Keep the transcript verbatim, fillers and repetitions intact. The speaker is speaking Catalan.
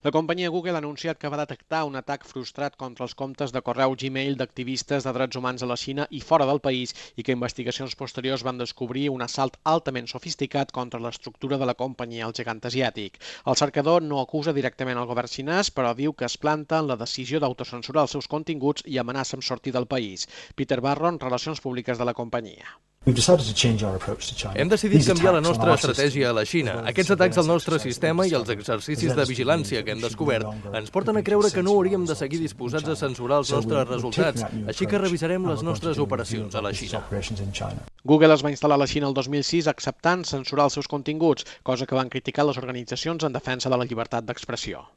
La companyia Google ha anunciat que va detectar un atac frustrat contra els comptes de correu Gmail d'activistes de drets humans a la Xina i fora del país i que investigacions posteriors van descobrir un assalt altament sofisticat contra l'estructura de la companyia al gegant asiàtic. El cercador no acusa directament el govern xinès, però diu que es planta en la decisió d'autocensurar els seus continguts i amenaça amb sortir del país. Peter Barron, Relacions Públiques de la companyia. Hem decidit canviar la nostra estratègia a la Xina. Aquests atacs al nostre sistema i els exercicis de vigilància que hem descobert ens porten a creure que no hauríem de seguir disposats a censurar els nostres resultats, així que revisarem les nostres operacions a la Xina. Google es va instal·lar a la Xina el dos mil sis acceptant censurar els seus continguts, cosa que van criticar les organitzacions en defensa de la llibertat d'expressió.